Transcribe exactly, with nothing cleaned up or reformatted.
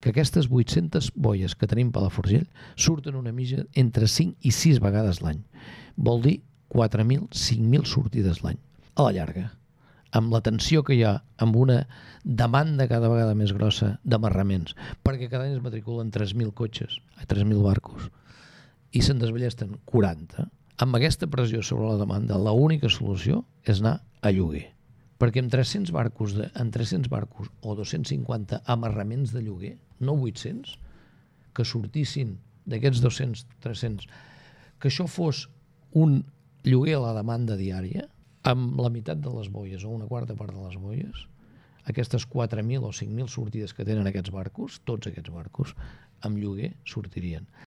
que aquestes vuit-centes boies que tenim a Palafrugell surten una mitja entre cinc i sis vegades l'any. Vol dir quatre mil, cinc mil sortides l'any. A la llarga, amb la tensió que hi ha, amb una demanda cada vegada més grossa d'amarraments, perquè cada any es matriculen tres mil cotxes, tres mil barcos, i se'n desballesten quaranta, amb aquesta pressió sobre la demanda, l'única solució és anar a lloguer. Perquè amb tres-cents barcos, de, amb tres-cents barcos o dos-cents cinquanta amarraments de lloguer, no vuit-cents, que sortissin d'aquests dos-cents, tres-cents, que això fos un lloguer a la demanda diària, amb la meitat de les boies o una quarta part de les boies, aquestes quatre mil o cinc mil sortides que tenen aquests barcos, tots aquests barcos, amb lloguer sortirien.